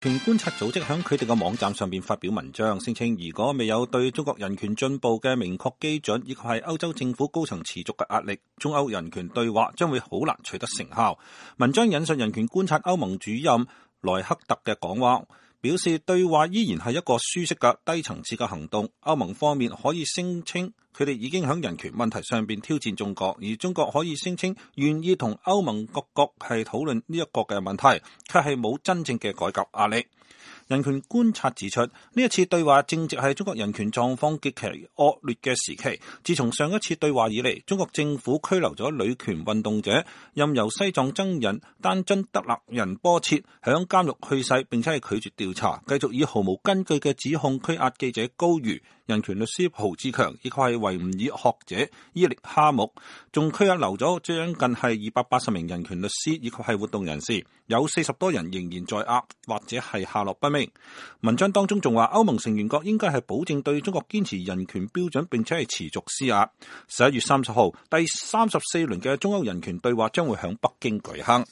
人權觀察組織喺佢哋嘅網站上邊發表文章，聲稱如果未有對中國人權進步嘅明確基準，以及係歐洲政府高層持續嘅壓力，中歐人權對話將會好難取得成效。文章引述人權觀察歐盟主任萊克特嘅講話，表示對話依然係一個舒適嘅低層次嘅行動。歐盟方面可以聲稱佢哋已經喺人權問題上邊挑戰中國，而中國可以聲稱願意同歐盟各國係討論呢一個嘅問題，卻係冇真正嘅改革壓力。人權觀察指出，呢一次對話正值係中國人權狀況極其惡劣嘅時期。自從上一次對話以嚟，中國政府拘留咗女權運動者，任由西藏僧人丹津德勒仁波切響監獄去世，並且係拒絕調查，繼續以毫無根據嘅指控拘押記者高瑜、人權律師蒲志強，以及係維吾爾學者伊力哈木，仲拘押留咗將近係280名人權律師以及係活動人士，有40多人仍然在押或者係下落不明。文章當中仲話，歐盟成員國應該係保證對中國堅持人權標準，並且係持續施壓。11月30號，第34輪嘅中歐人權對話將會響北京舉行。